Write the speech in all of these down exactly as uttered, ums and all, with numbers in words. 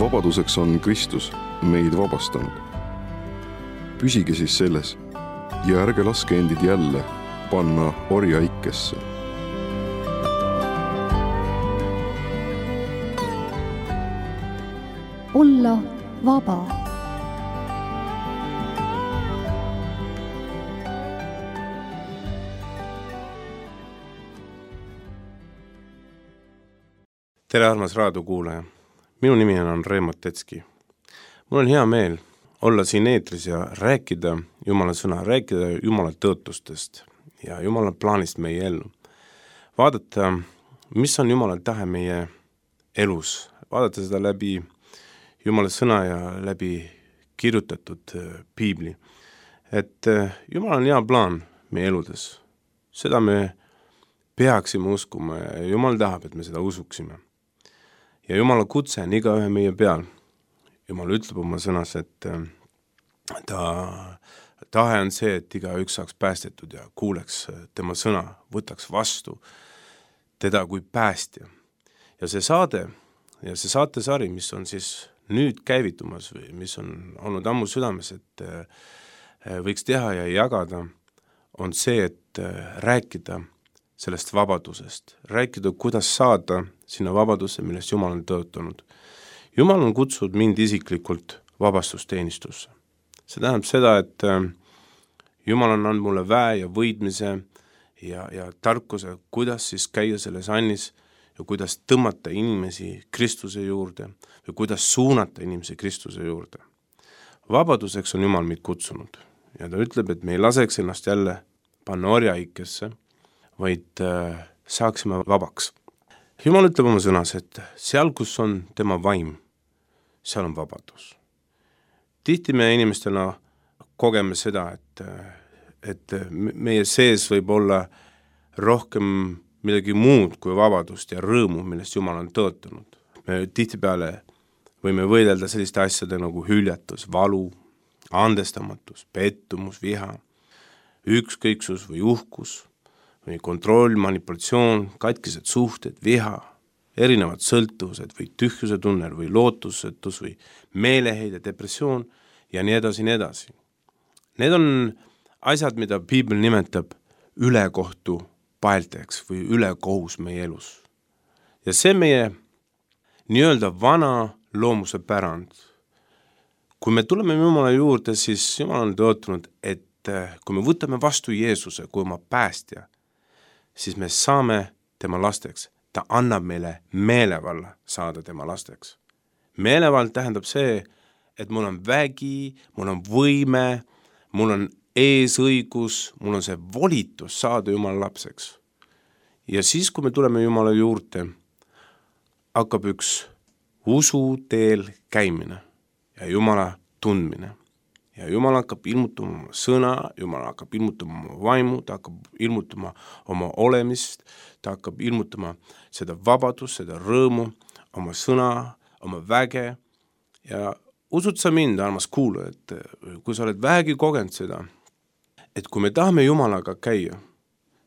vabaduseks on Kristus meid vabastanud. Püsige siis selles ja ärge laske endid jälle panna orjaikesse. Olla vaba. Tere armas raadiokuulaja. Minu nimi on Reemo Tetski. Mul on hea meel olla siin eetris ja rääkida Jumala sõna, rääkida Jumala tõotustest ja Jumala plaanist meie ellu. Vaadata, mis on Jumala tahe meie elus. Vaadata seda läbi Jumala sõna ja läbi kirjutatud piibli. Et Jumal on hea plaan meie eludes. Seda me peaksime uskuma ja Jumal tahab, et me seda usuksime. Ja Jumala kutse on iga ühe meie peal. Jumal ütleb oma sõnas, et ta tahe on see, et iga üks saaks päästetud ja kuuleks tema sõna, võtaks vastu teda kui päästja. Ja see saade ja see saatesari, mis on siis nüüd käivitumas või mis on olnud ammu südames, et võiks teha ja jagada, on see, et rääkida sellest vabadusest, rääkida, kuidas saada sinna vabadusse, millest Jumal on tõotanud. Jumal on kutsunud mind isiklikult vabastusteenistusse. See tähendab seda, et Jumal on andnud mulle väe ja võidmise ja, ja tarkuse, kuidas siis käia selles annis ja kuidas tõmmata inimesi Kristuse juurde või kuidas suunata inimesi Kristuse juurde. Vabaduseks on Jumal meid kutsunud ja ta ütleb, et me ei laseks ennast jälle panna orjaikesse, vaid äh, saaksime vabaks. Jumal ütleb oma sõnas, et seal, kus on tema vaim, seal on vabadus. Tihti me inimestena kogeme seda, et, et meie sees võib olla rohkem midagi muud kui vabadust ja rõõmu, millest Jumal on tõotanud. Me tihtipeale võime võidelda selliste asjade nagu hüljatus, valu, andestamatus, pettumus, viha, ükskõiksus või uhkus, või kontroll, manipulatsioon, katkised suhted, viha, erinevad sõltuvused või tühjuse tunnel või lootusetus või meeleheide, depressioon ja nii edasi, nii edasi. Need on asjad, mida piibel nimetab ülekohtu paelteks või ülekohus meie elus. Ja see meie nii-öelda vana loomuse pärand. Kui me tuleme Jumala juurde, siis Jumal on tõotanud, et kui me võtame vastu Jeesuse kui oma päästja, siis me saame tema lasteks. Ta annab meile meelevalla saada tema lasteks. Meelevald tähendab see, et mul on vägi, mul on võime, mul on eesõigus, mul on see volitus saada Jumala lapseks. Ja siis, kui me tuleme Jumala juurde, hakkab üks usu teel käimine ja Jumala tundmine. Ja Jumal hakkab ilmutama oma sõna, Jumal hakkab ilmutama oma vaimu, ta hakkab ilmutama oma olemist, ta hakkab ilmutama seda vabadust, seda rõõmu, oma sõna, oma väge. Ja usud sa mind, armas kuula, et kui sa oled vähegi kogenud seda, et kui me tahame Jumalaga käia,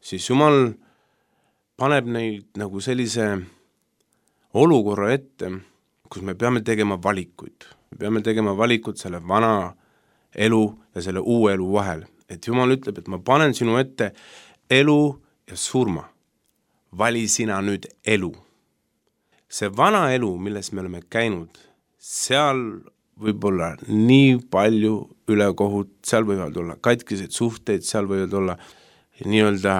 siis Jumal paneb neid nagu sellise olukorra ette, kus me peame tegema valikuid. Me peame tegema valikud selle vana elu ja selle uue elu vahel. Et Jumal ütleb, et ma panen sinu ette elu ja surma. Vali sina nüüd elu. See vana elu, milles me oleme käinud, seal võib olla nii palju ülekohut, seal võivad olla katkiseid suhteid, seal võivad olla nii-öelda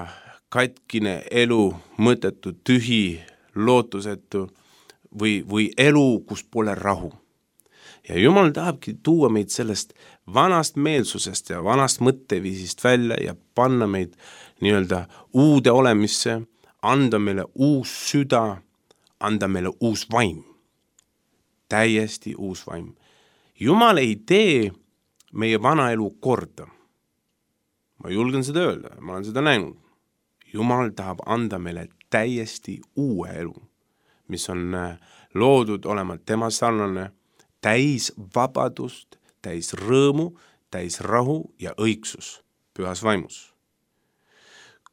katkine elu, mõttetu, tühi, lootusetu või, või elu, kus pole rahu. Ja Jumal tahabki tuua meid sellest vanast meelsusest ja vanast mõtteviisist välja ja panna meid nii-öelda uude olemisse, anda meile uus süda, anda meile uus vaim. Täiesti uus vaim. Jumal ei tee meie vana elu korda. Ma julgen seda öelda, ma olen seda näinud. Jumal tahab anda meile täiesti uue elu, mis on loodud olema tema sarnane, täis vabadust, täis rõõmu, täis rahu ja õigsus pühas vaimus.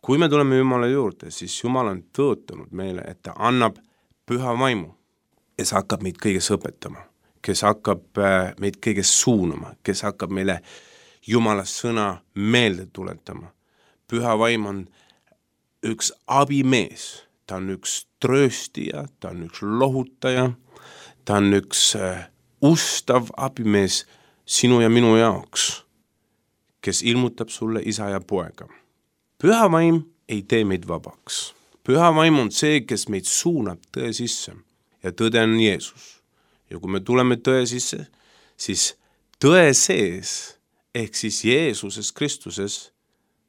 Kui me tuleme Jumala juurde, siis Jumal on tõotanud meile, et ta annab püha vaimu ja see hakkab meid kõiges õpetama. kes hakkab meid kõigest suunama, kes hakkab meile Jumala sõna meelde tuletama. Püha vaim on üks abimees, ta on üks trööstija, ta on üks lohutaja, ta on üks ustav abimees sinu ja minu jaoks, kes ilmutab sulle isa ja poega. Püha vaim ei tee meid vabaks. Püha vaim on see, kes meid suunab tõe sisse ja tõde on Jeesus. Ja kui me tuleme tõe sisse, siis tõe sees ehk siis Jeesuses Kristuses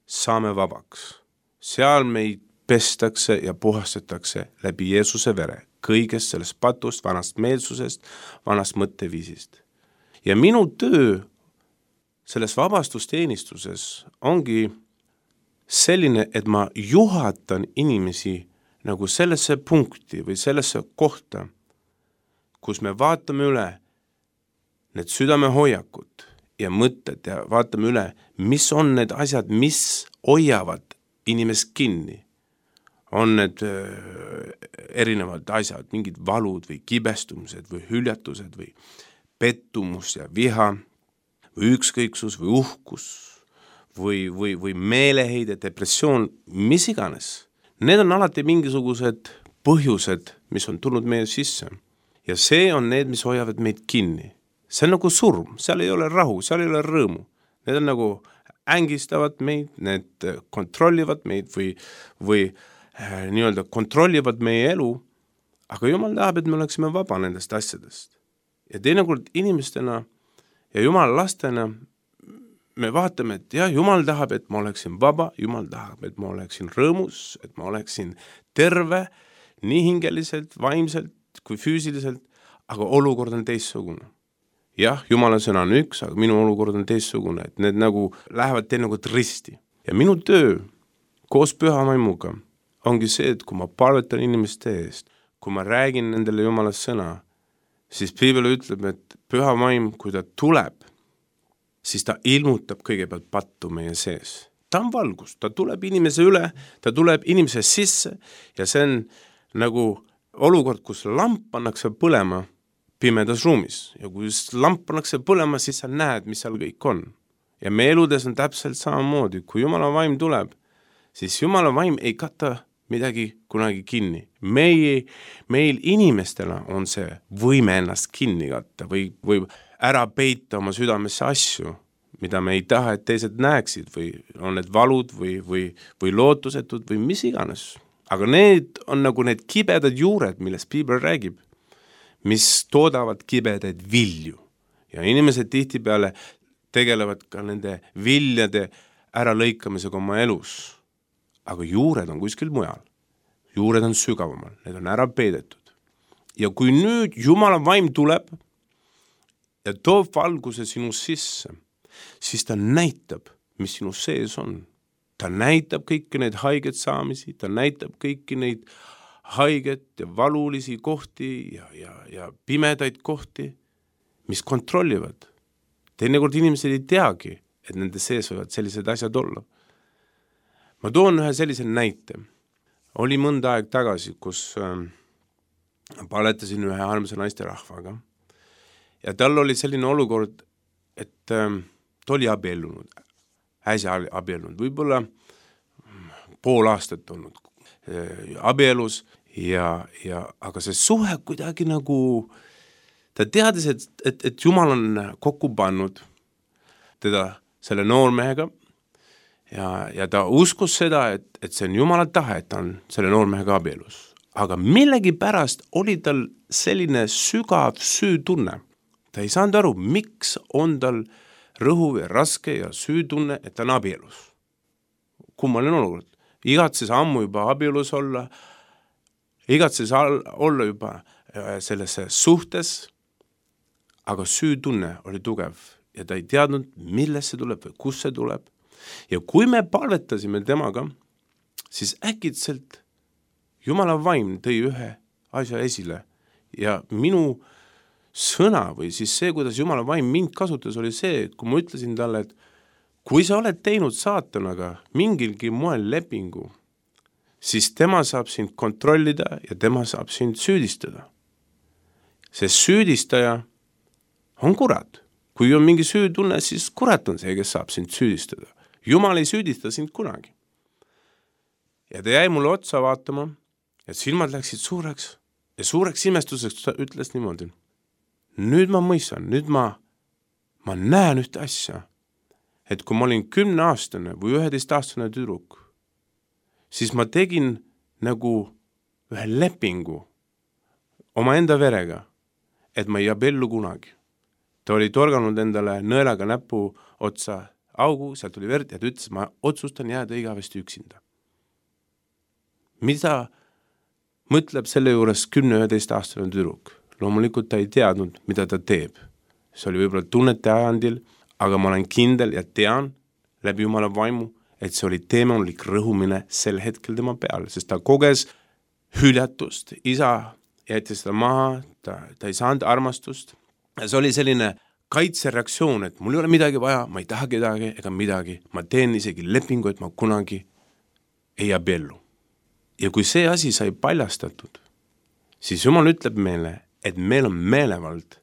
saame vabaks. Seal meid pestakse ja puhastatakse läbi Jeesuse vere, kõigest sellest patust, vanast meelsusest, vanast mõtteviisist. Ja minu töö selles vabastusteenistuses ongi selline, et ma juhatan inimesi nagu sellesse punkti või sellesse kohta, kus me vaatame üle need südamehoiakud ja mõtted ja vaatame üle, mis on need asjad, mis hoiavad inimest kinni. On need erinevad asjad, mingid valud või kibestumused või hüljatused või pettumus ja viha või ükskõiksus või uhkus või, või, või meeleheide, depressioon, mis iganes. Need on alati mingisugused põhjused, mis on tulnud meie sisse. Ja see on need, mis hoiavad meid kinni. See on nagu surm, seal ei ole rahu, seal ei ole rõõmu. Need on nagu ängistavad meid, need kontrollivad meid või, või äh, nii-öelda kontrollivad meie elu, aga Jumal tahab, et me oleksime vaba nendest asjadest. Ja teinekord inimestena ja Jumala lastena me vaatame, et jah, Jumal tahab, et ma oleksin vaba, Jumal tahab, et ma oleksin rõõmus, et ma oleksin terve, nii hingeliselt, vaimselt kui füüsiliselt, aga olukord on teistsugune. Jah, Jumala sõna on üks, aga minu olukord on teistsugune, et need nagu lähevad teinekord risti. Ja minu töö koos püha vaimuga ongi see, et kui ma palvetan inimeste eest, kui ma räägin nendele Jumala sõna, siis Piibel ütleb, et püha vaim, kui ta tuleb, siis ta ilmutab kõigepealt pattu meie sees. Ta on valgus, ta tuleb inimese üle, ta tuleb inimese sisse ja see on nagu olukord, kus lamp pannakse põlema pimedas ruumis ja kui lamp pannakse põlema, siis sa näed, mis seal kõik on. Ja meie eludes on täpselt samamoodi, kui Jumala vaim tuleb, siis Jumala vaim ei kata midagi kunagi kinni. Meie, meil inimestena on see võime ennast kinni katta või, või ära peita oma südamesse asju, mida me ei taha, et teised näeksid või on need valud või, või, või lootusetud või mis iganes. Aga need on nagu need kibedad juured, millest Piibel räägib, mis toodavad kibedaid vilju. Ja inimesed tihtipeale tegelevad ka nende viljade äralõikamisega oma elus. Aga juured on kuskil mujal. Juured on sügavamal, need on ära peidetud. Ja kui nüüd Jumala vaim tuleb ja toob valguse sinu sisse, siis ta näitab, mis sinu sees on. Ta näitab kõiki neid haiget saamisi, ta näitab kõiki neid haiget ja valulisi kohti ja, ja, ja pimedaid kohti, mis kontrollivad. Teinekord inimesed ei teagi, et nende sees võivad sellised asjad olla. Ma toon ühe sellise näite. Oli mõnda aeg tagasi, kus äh, paletasin ühe armsa naisterahvaga ja tal oli selline olukord, et äh, ta oli abiellunud, äsja abiellunud, võib-olla pool aastat olnud äh, abielus ja, ja aga see suhe kuidagi nagu, ta teadis, et, et, et Jumal on kokku pannud teda selle noormehega ja, ja ta uskus seda, et, et see on Jumala tahe, et ta on selle noormehega abielus. Aga millegi pärast oli tal selline sügav süütunne. Ta ei saanud aru, miks on tal rõhuv ja raske ja süütunne, et ta on abielus. Kummaline olukord. Igatses ammu juba abielus olla, igatses olla juba selles suhtes, aga süütunne oli tugev ja ta ei teadnud, millest see tuleb või kus see tuleb. Ja kui me palvetasime temaga, siis äkitselt Jumala vaim tõi ühe asja esile ja minu sõna või siis see, kuidas Jumala vaim mind kasutas, oli see, et kui ma ütlesin talle, et kui sa oled teinud saatanaga mingilgi moel lepingu, siis tema saab sind kontrollida ja tema saab sind süüdistada. See süüdistaja on kurat. Kui on mingi süütunne, siis kurat on see, kes saab sind süüdistada. Jumal ei süüdista sind kunagi. Ja ta jäi mulle otsa vaatama, et silmad läksid suureks ja suureks imestuseks ta ütles niimoodi. Nüüd ma mõistan, nüüd ma, ma näen ühte asja, et kui ma olin kümneaastane või üheteistaastane tüdruk, siis ma tegin nagu ühe lepingu oma enda verega, et ma ei abiellu kunagi. Ta oli torganud endale nõelaga näpu otsa augu, sealt tuli verd ja ta ütles, ma otsustan jääda igavesti üksinda. Mida mõtleb selle juures kümne üheteist aastane tüdruk? Loomulikult ta ei teadnud, mida ta teeb. See oli võib-olla tunnete ajandil, aga ma olen kindel ja tean läbi Jumala vaimu, et see oli teemanulik rõhumine sel hetkel tema peale, sest ta koges hüljatust, isa jättis seda maha, ta, ta ei saanud armastust. Ja see oli selline kaitsereaktsioon, et mul ei ole midagi vaja, ma ei taha kedagi ega midagi, ma teen isegi lepingu, et ma kunagi ei abiellu. Ja kui see asi sai paljastatud, siis Jumal ütleb meile, et meil on meelevald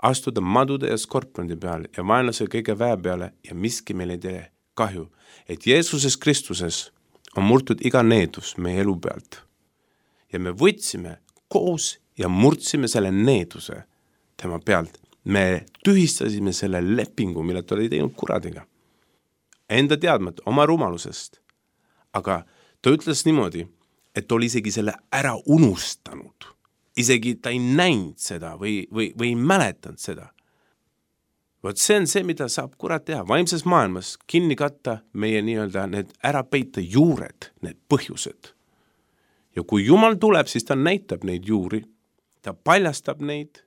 astuda madude ja skorpiondi peale ja vaenlase kõige väe peale ja miski meil ei tee kahju, et Jeesuses Kristuses on murtud iga needus meie elu pealt. Ja me võtsime koos ja murdsime selle needuse tema pealt. Me tühistasime selle lepingu, mille ta oli teinud kuradiga. Enda teadmat, oma rumalusest. Aga ta ütles niimoodi, et ta oli isegi selle ära unustanud. Isegi ta ei näinud seda või, või, või ei mäletanud seda. Vot see on see, mida saab kurat teha. Vaimses maailmas kinni katta meie nii-öelda need ära peita juured, need põhjused. Ja kui Jumal tuleb, siis ta näitab neid juuri, ta paljastab neid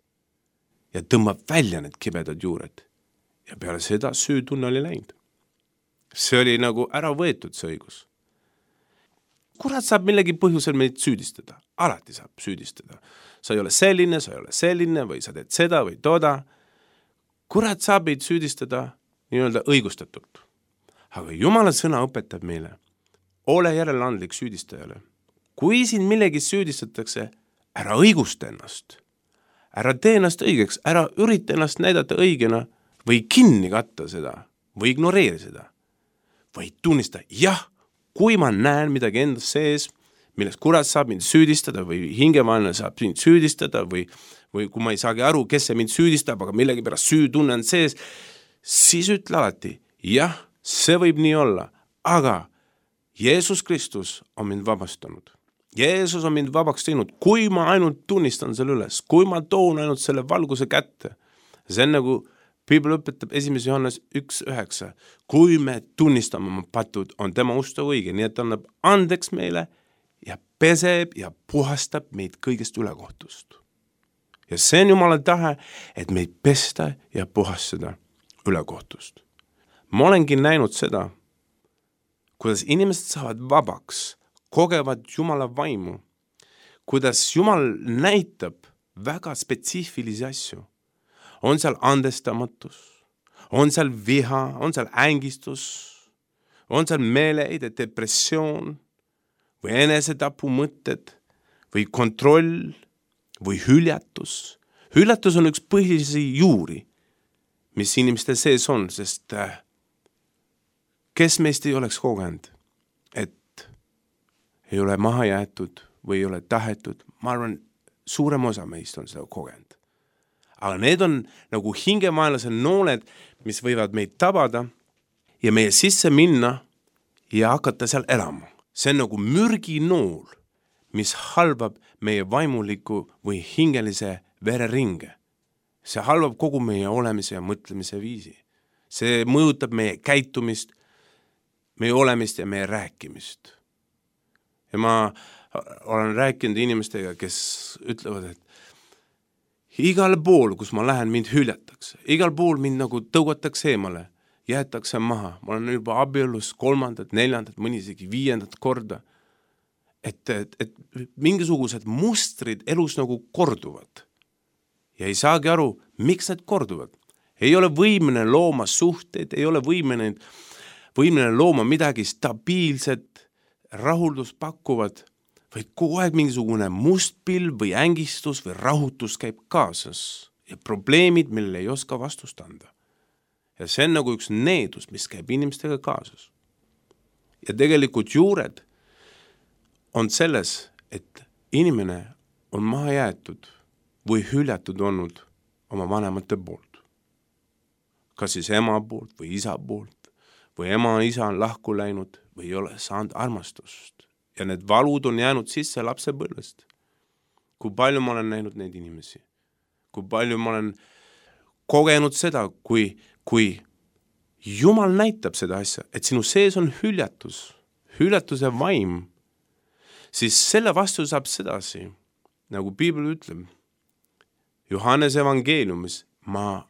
ja tõmbab välja need kibedad juured. Ja peale seda süütunne oli läinud. See oli nagu ära võetud see õigus. Kurat saab millegi põhjusel meid süüdistada. Alati saab süüdistada. Sa ei ole selline, sa ei ole selline või sa teed seda või toda. Kurat saab meid süüdistada nii-öelda õigustatult. Aga Jumala sõna õpetab meile. Ole järeleandlik süüdistajale. Kui sind millegi süüdistatakse, ära õigusta ennast. Ära tee ennast õigeks, ära ürita ennast näidata õigena või kinni katta seda või ignoreeri seda. Või tunnista, jah, kui ma näen midagi endas sees, millest kurat saab mind süüdistada või hingevaenlane saab mind süüdistada või, või kui ma ei saagi aru, kes see mind süüdistab, aga millegi pärast süütunne on sees, siis ütle alati, jah, see võib nii olla, aga Jeesus Kristus on mind vabastanud. Jeesus on mind vabaks teinud, kui ma ainult tunnistan selle üles, kui ma toon ainult selle valguse kätte. See on nagu Piibel õpetab esimese Johannes üks üheksa. Kui me tunnistame oma patud, on tema usta õige, nii et annab andeks meile ja peseb ja puhastab meid kõigest ülekohtust. Ja see on Jumala tahe, et meid pesta ja puhastada ülekohtust. Ma olengi näinud seda, kuidas inimesed saavad vabaks, kogevad Jumala vaimu, kuidas Jumal näitab väga spetsiifilisi asju. On seal andestamatus, on seal viha, on seal ängistus, on seal meeleheide, depressioon või enesetapu mõtted või kontroll või hüljatus. Hüljatus on üks põhilisi juuri, mis inimeste sees on, sest kes meist ei oleks kogenud, et ei ole maha jäetud või ei ole tahetud. Ma arvan, suurem osa meist on seda kogenud. Aga need on nagu hingemaelase nooled, mis võivad meid tabada ja meie sisse minna ja hakata seal elama. See on nagu mürginool, mis halvab meie vaimuliku või hingelise vereringe. See halvab kogu meie olemise ja mõtlemise viisi. See mõjutab meie käitumist, meie olemist ja meie rääkimist. Ja ma olen rääkinud inimestega, kes ütlevad, et igal pool, kus ma lähen, mind hüljatakse. Igal pool mind nagu tõugatakse eemale, jäetakse maha. Ma olen juba abielus kolmandat, neljandat, mõni isegi viiendat korda. Et, et, et mingisugused mustrid elus nagu korduvad. Ja ei saagi aru, miks need korduvad. Ei ole võimene looma suhteid, ei ole võimene, võimene looma midagi stabiilset, rahuldust pakkuvad, vaid kogu aeg mingisugune must pilv või ängistus või rahutus käib kaasas. ja probleemid, millele ei oska vastust anda. Ja see on nagu üks needus, mis käib inimestega kaasas. Ja tegelikult juured on selles, et inimene on maha jäetud või hüljatud olnud oma vanemate poolt. Kas siis ema poolt või isa poolt või ema ja isa on lahku läinud või ei ole saanud armastust. Ja need valud on jäänud sisse lapsepõlvest. Kui palju ma olen näinud neid inimesi, kui palju ma olen kogenud seda, kui, kui Jumal näitab seda asja, et sinu sees on hüljatus, hüljatuse vaim, siis selle vastu saab sedasi, nagu Piibel ütleb, Johannese evangeeliumis, ma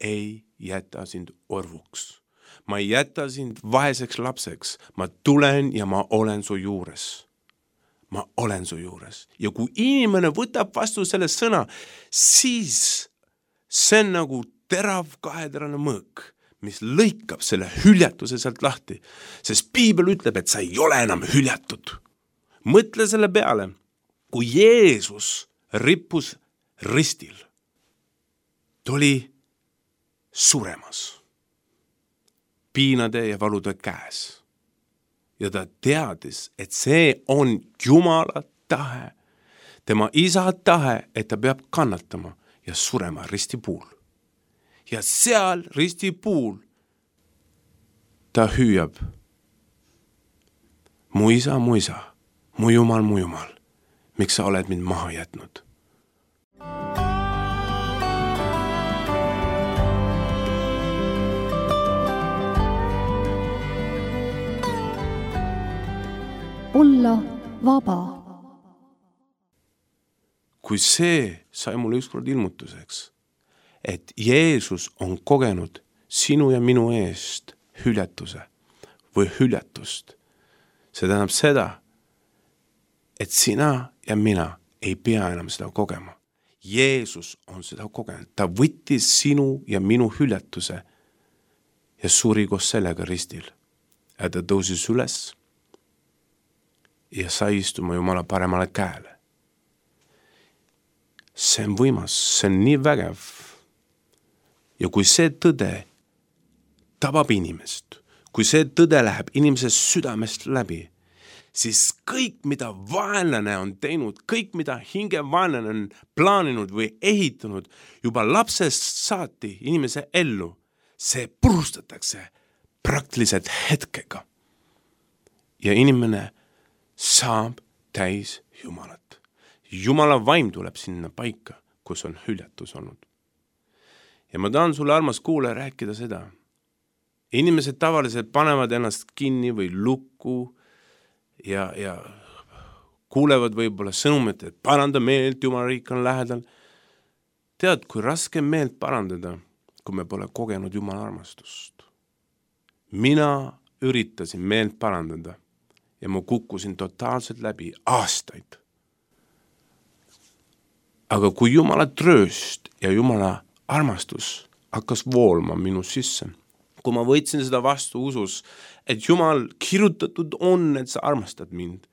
ei jäta sind orvuks. Ma ei jäta sind vaeseks lapseks. Ma tulen ja ma olen su juures. Ma olen su juures. Ja kui inimene võtab vastu selle sõna, siis see on nagu terav kaheterane mõõk, mis lõikab selle hüljatuse sealt lahti. Sest Piibel ütleb, et sa ei ole enam hüljatud. Mõtle selle peale, kui Jeesus rippus ristil, ta oli suremas, piinade ja valude käes. Ja ta teadis, et see on Jumala tahe, tema isa tahe, et ta peab kannatama ja surema ristipuul. Ja seal ristipuul ta hüüab, mu isa, mu isa, mu Jumal, mu Jumal, miks sa oled mind maha jätnud? Olla vaba. Kui see sai mulle ükskord ilmutuseks, et Jeesus on kogenud sinu ja minu eest hüljatuse või hüljatust, see tähendab seda, et sina ja mina ei pea enam seda kogema. Jeesus on seda kogenud. Ta võttis sinu ja minu hüljatuse ja suri koos sellega ristil. Ja ta tõusis üles ja sai istuma Jumala paremale käele. See on võimas, see on nii vägev. Ja kui see tõde tabab inimest, kui see tõde läheb inimese südamest läbi, siis kõik, mida vaenlane on teinud, kõik, mida hingevaenlane on plaaninud või ehitanud juba lapsest saati inimese ellu, see purustatakse praktiliselt hetkega. Ja inimene saab täis Jumalat. Jumala vaim tuleb sinna paika, kus on hüljatus olnud. Ja ma tahan sulle, armas kuulaja, rääkida seda. Inimesed tavaliselt panevad ennast kinni või lukku ja, ja kuulevad võib-olla sõnumit, et paranda meelt, Jumala riik on lähedal. Tead, kui raske meelt parandada, kui me pole kogenud Jumala armastust. Mina üritasin meelt parandada ja ma kukkusin totaalselt läbi aastaid. Aga kui Jumala trööst ja Jumala armastus hakkas voolma minu sisse, kui ma võtsin seda vastu usus, et Jumal kirjutatud on, et sa armastad mind,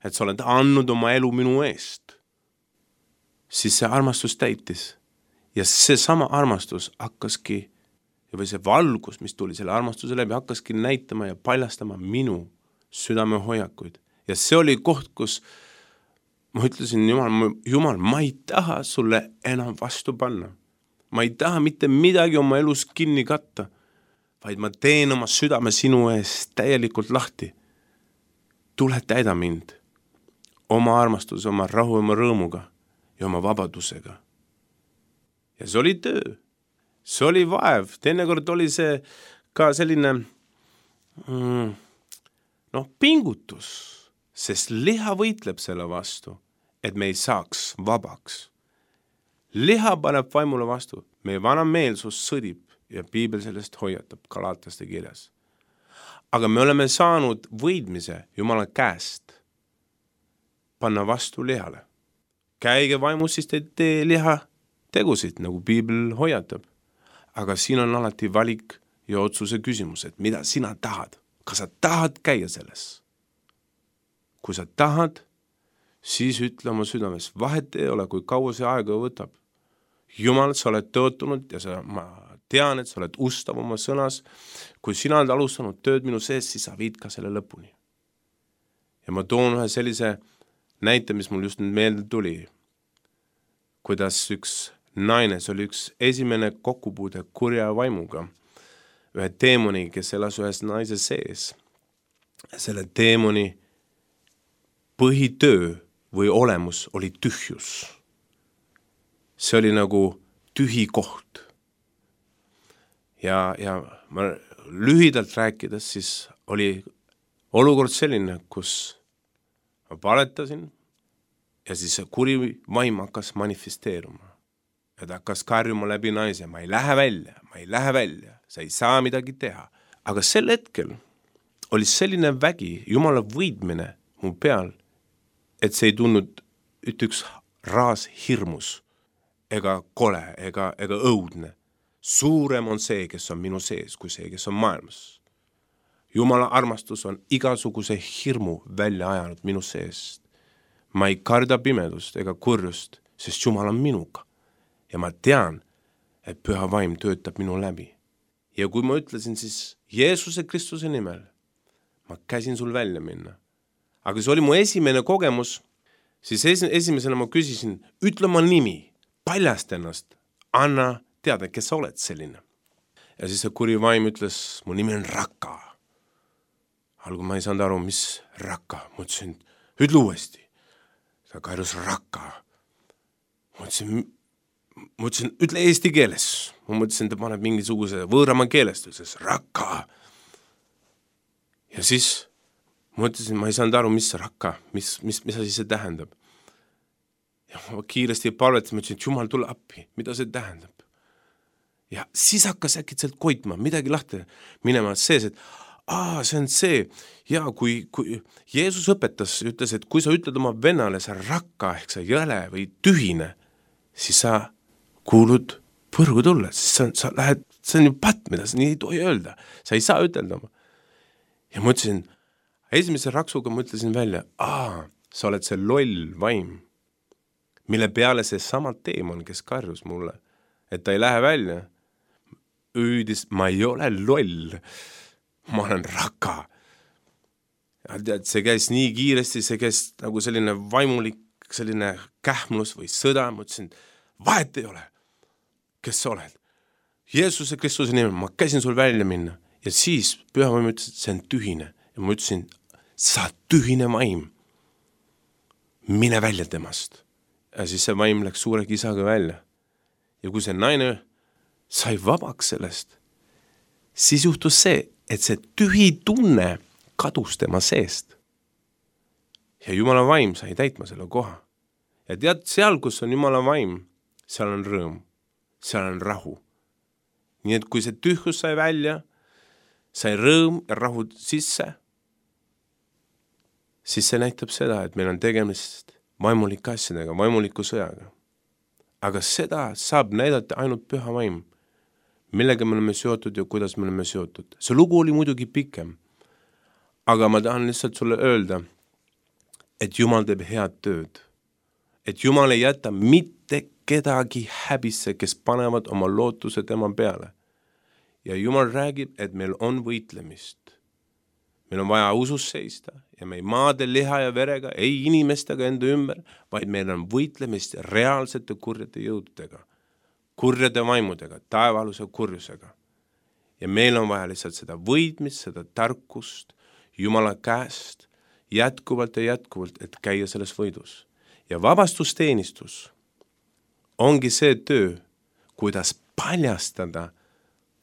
et sa oled andnud oma elu minu eest, siis see armastus täitis. Ja see sama armastus hakkaski, või see valgus, mis tuli selle armastuse läbi, hakkaski näitama ja paljastama minu südame hoiakuid. Ja see oli koht, kus ma ütlesin, Jumal, Jumal, ma ei taha sulle enam vastu panna. Ma ei taha mitte midagi oma elus kinni katta, vaid ma teen oma südame sinu ees täielikult lahti. Tule täida mind oma armastuse, oma rahu, oma rõõmuga ja oma vabadusega. Ja see oli töö, see oli vaev, teinekord oli see ka selline mm, noh, pingutus, sest liha võitleb selle vastu, et me ei saaks vabaks. Liha paneb vaimule vastu, meie vana meelsus sõdib ja Piibel sellest hoiatab Galataste kirjas. Aga me oleme saanud võidmise Jumala käest panna vastu lihale. Käige vaimus, siis te tee liha tegusid, nagu Piibel hoiatab. Aga siin on alati valik ja otsuse küsimus, et mida sina tahad. Kas sa tahad käia selles? Kui sa tahad, siis ütle oma südames, vahet ei ole, kui kaua see aega võtab. Jumal, sa oled tõotunud ja sa, ma tean, et sa oled ustav oma sõnas. Kui sina oled alustanud tööd minu sees, siis sa viid ka selle lõpuni. Ja ma toon ühe sellise näite, mis mul just nüüd meelde tuli. Kuidas üks naine, see oli üks esimene kokkupuude kurja vaimuga. Ühe teemoni, kes elas ühes naise sees. Selle teemoni põhitöö või olemus oli tühjus. See oli nagu tühi koht. Ja, ja ma lühidalt rääkides, siis oli olukord selline, kus ma paletasin ja siis see kuri vaim hakkas manifesteeruma. Ja ta hakkas karjuma läbi naise, ma ei lähe välja, ma ei lähe välja, sa ei saa midagi teha. Aga sel hetkel oli selline vägi, Jumala võidmine mu peal, et see ei tulnud üks raas hirmus ega kole, ega, ega õudne. Suurem on see, kes on minu sees, kui see, kes on maailmas. Jumala armastus on igasuguse hirmu välja ajanud minu seest. Ma ei karda pimedust ega kurjust, sest Jumal on minuga. Ja ma tean, et püha vaim töötab minu läbi. Ja kui ma ütlesin siis Jeesuse Kristuse nimel, ma käsin sul välja minna. Aga see oli mu esimene kogemus, siis esimesena ma küsisin, ütle oma nimi, paljast ennast, anna teada, kes sa oled selline. Ja siis see kuri vaim ütles, mu nimi on Raka. Algu ma ei saanud aru, mis Raka. Ma ütlesin, ütle uuesti. Ta karjus Raka. Ma ütlesin, ma ütlesin, ütle eesti keeles. Ma mõtlesin, ta paneb mingisuguse võõrama keelest. Ütles Raka. Ja siis ma ütlesin, ma ei saanud aru, mis Raka, mis, mis, mis asi see tähendab. Ja ma kiiresti palvetasin, ma ütlesin, et Jumal, tule appi. Mida see tähendab? Ja siis hakkas äkitselt koitma, midagi lahti minema sees, et aa, see on see, ja kui, kui Jeesus õpetas, ütles, et kui sa ütled oma vennale, sa Raka, ehk sa jõle või tühine, siis sa kuulud põrgu tulla, siis sa, sa lähed, see on ju pat, mida sa nii ei tohi öelda, sa ei saa ütelda. Ja ma ütlesin, esimese raksuga ma ütlesin välja, aa, sa oled see loll vaim, mille peale see sama teemon, kes karjus mulle, et ta ei lähe välja, üüdis, ma ei ole loll, ma olen Raka. Ja tead, see käis nii kiiresti, see käis nagu selline vaimulik, selline kähmlus või sõda, ma ütlesin, vahet ei ole, kes sa oled. Jeesuse Kristuse nimel, ma käisin sul välja minna ja siis püha vaim ütles, et see on tühine ja ma ütlesin, sa tühine vaim, mine välja temast. Ja siis see vaim läks suure kisaga välja. Ja kui see naine sai vabaks sellest, siis juhtus see, et see tühi tunne kadus tema seest. Ja Jumala vaim sai täitma selle koha. Ja tead, seal, kus on Jumala vaim, seal on rõõm, seal on rahu. Nii et kui see tühjus sai välja, sai rõõm ja rahu sisse, siis see näitab seda, et meil on tegemist vaimulike asjadega, vaimuliku sõjaga. Aga seda saab näidata ainult püha vaim, millega me oleme seotud ja kuidas me oleme seotud. See lugu oli muidugi pikem, aga ma tahan lihtsalt sulle öelda, et Jumal teeb head tööd, et Jumal ei jäta mitte kedagi häbisse, kes panevad oma lootuse tema peale. Ja Jumal räägib, et meil on võitlemist. Meil on vaja usus seista ja me ei maade liha ja verega, ei inimestega enda ümber, vaid meil on võitlemist reaalsete kurjade jõududega, kurjade vaimudega, taevaluse kurjusega. Ja meil on vaja lihtsalt seda võidmist, seda tarkust Jumala käest jätkuvalt ja jätkuvalt, et käia selles võidus. Ja vabastusteenistus ongi see töö, kuidas paljastada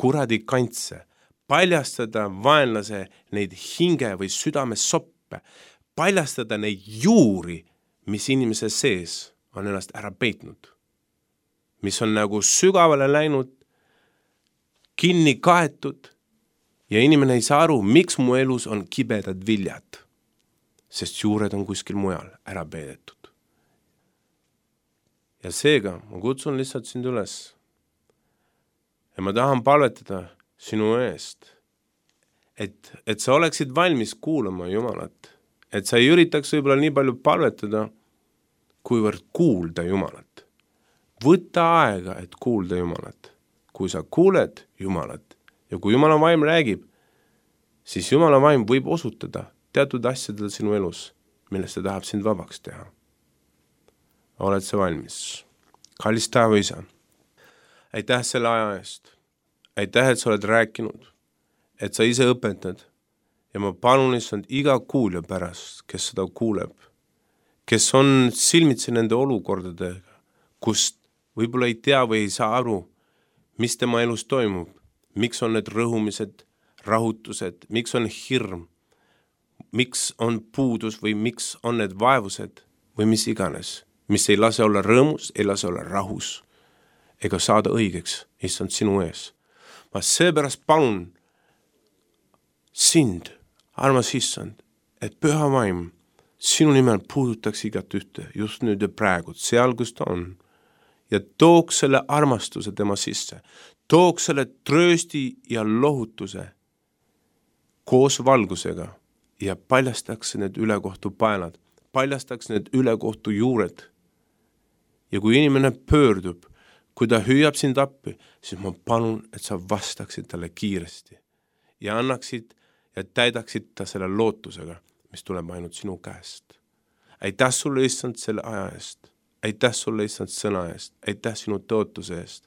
kuradi kantse, paljastada vaenlase neid hinge või südame soppe, paljastada neid juuri, mis inimese sees on ennast ära peitnud, mis on nagu sügavale läinud, kinni kaetud ja inimene ei saa aru, miks mu elus on kibedad viljad, sest juured on kuskil mujal ära peidetud. Ja seega ma kutsun lihtsalt sind üles ja ma tahan palvetada sinu eest, et, et sa oleksid valmis kuulama Jumalat, et sa ei üritaks võib-olla nii palju palvetada, kuivõrd kuulda Jumalat, võta aega, et kuulda Jumalat. Kui sa kuuled Jumalat ja kui Jumala vaim räägib, siis Jumala vaim võib osutada teatud asjadel sinu elus, millest ta tahab sind vabaks teha. Oled sa valmis? Kallis taeva isa, aitäh selle aja eest. Aitäh, et sa oled rääkinud, et sa ise õpetad ja ma palun issand iga kuulja pärast, kes seda kuuleb, kes on silmitsi nende olukordadega, kust võib-olla ei tea või ei saa aru, mis tema elus toimub, miks on need rõhumised, rahutused, miks on hirm, miks on puudus või miks on need vaevused või mis iganes, mis ei lase olla rõõmus, ei lase olla rahus ega saada õigeks, issand sinu ees. Ma seepärast palun sind, armas issand, et püha vaim sinu nimel puudutaks igat ühte just nüüd ja praegu, seal kus ta on ja tooks selle armastuse tema sisse, tooks selle tröösti ja lohutuse koos valgusega ja paljastaks need ülekohtu paelad, paljastaks need ülekohtu juured. Ja kui inimene pöördub, kui ta hüüab sind appi, siis ma palun, et sa vastaksid talle kiiresti ja annaksid ja täidaksid ta selle lootusega, mis tuleb ainult sinu käest. Aitäh sulle issand selle aja eest, aitäh sulle issand sõna eest, aitäh sinu tõotuse eest.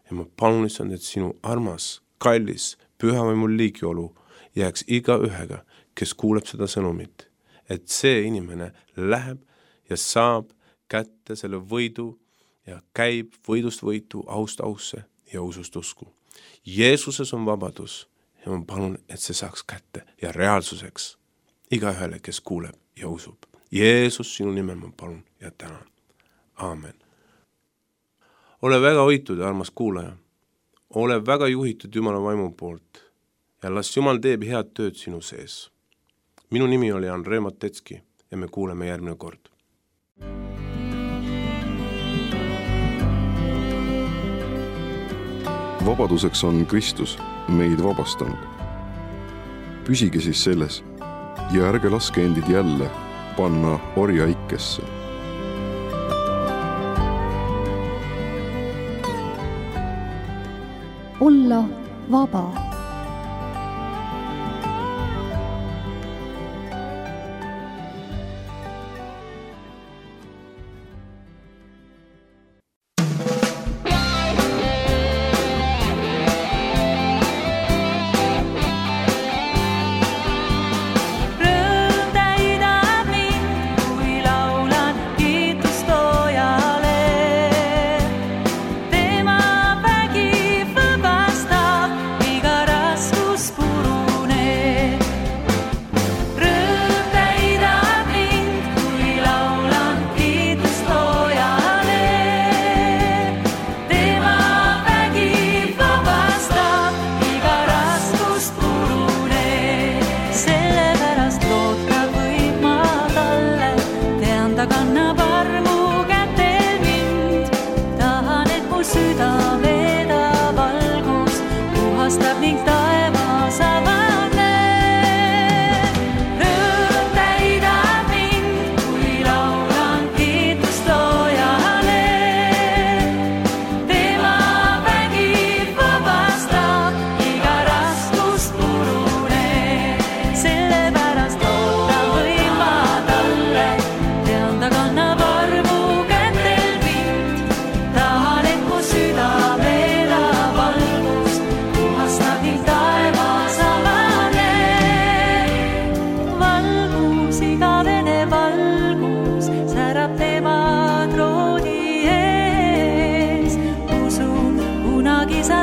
Ja ma palun issand, et sinu armas, kallis, pühavaimu liigiolu jääks iga ühega, kes kuuleb seda sõnumit, et see inimene läheb ja saab kätte selle võidu ja käib võidust võitu, aust ausse ja usust usku. Jeesuses on vabadus ja ma palun, et see saaks kätte ja reaalsuseks iga ühele, kes kuuleb ja usub. Jeesus, sinu nimel ma palun ja tänan. Aamen. Ole väga hoitud, armas kuulaja. Ole väga juhitud Jumala vaimu poolt ja las Jumal teeb head tööd sinu sees. Minu nimi oli Andrei Matetski ja me kuuleme järgmine kord. Vabaduseks on Kristus meid vabastanud. Püsige siis selles ja ärge laske endid jälle panna orja ikkesse. Olla vaba.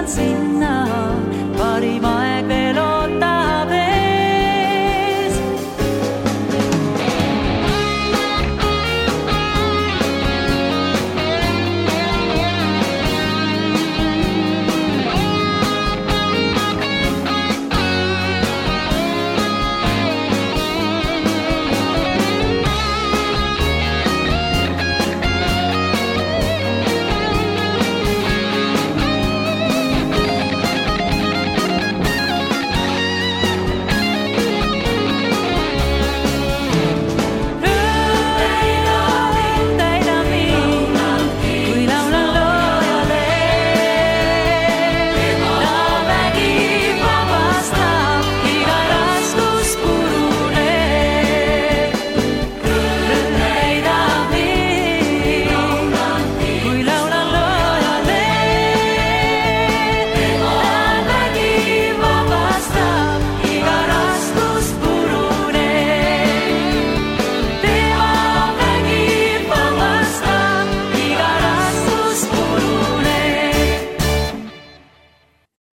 Sinna parima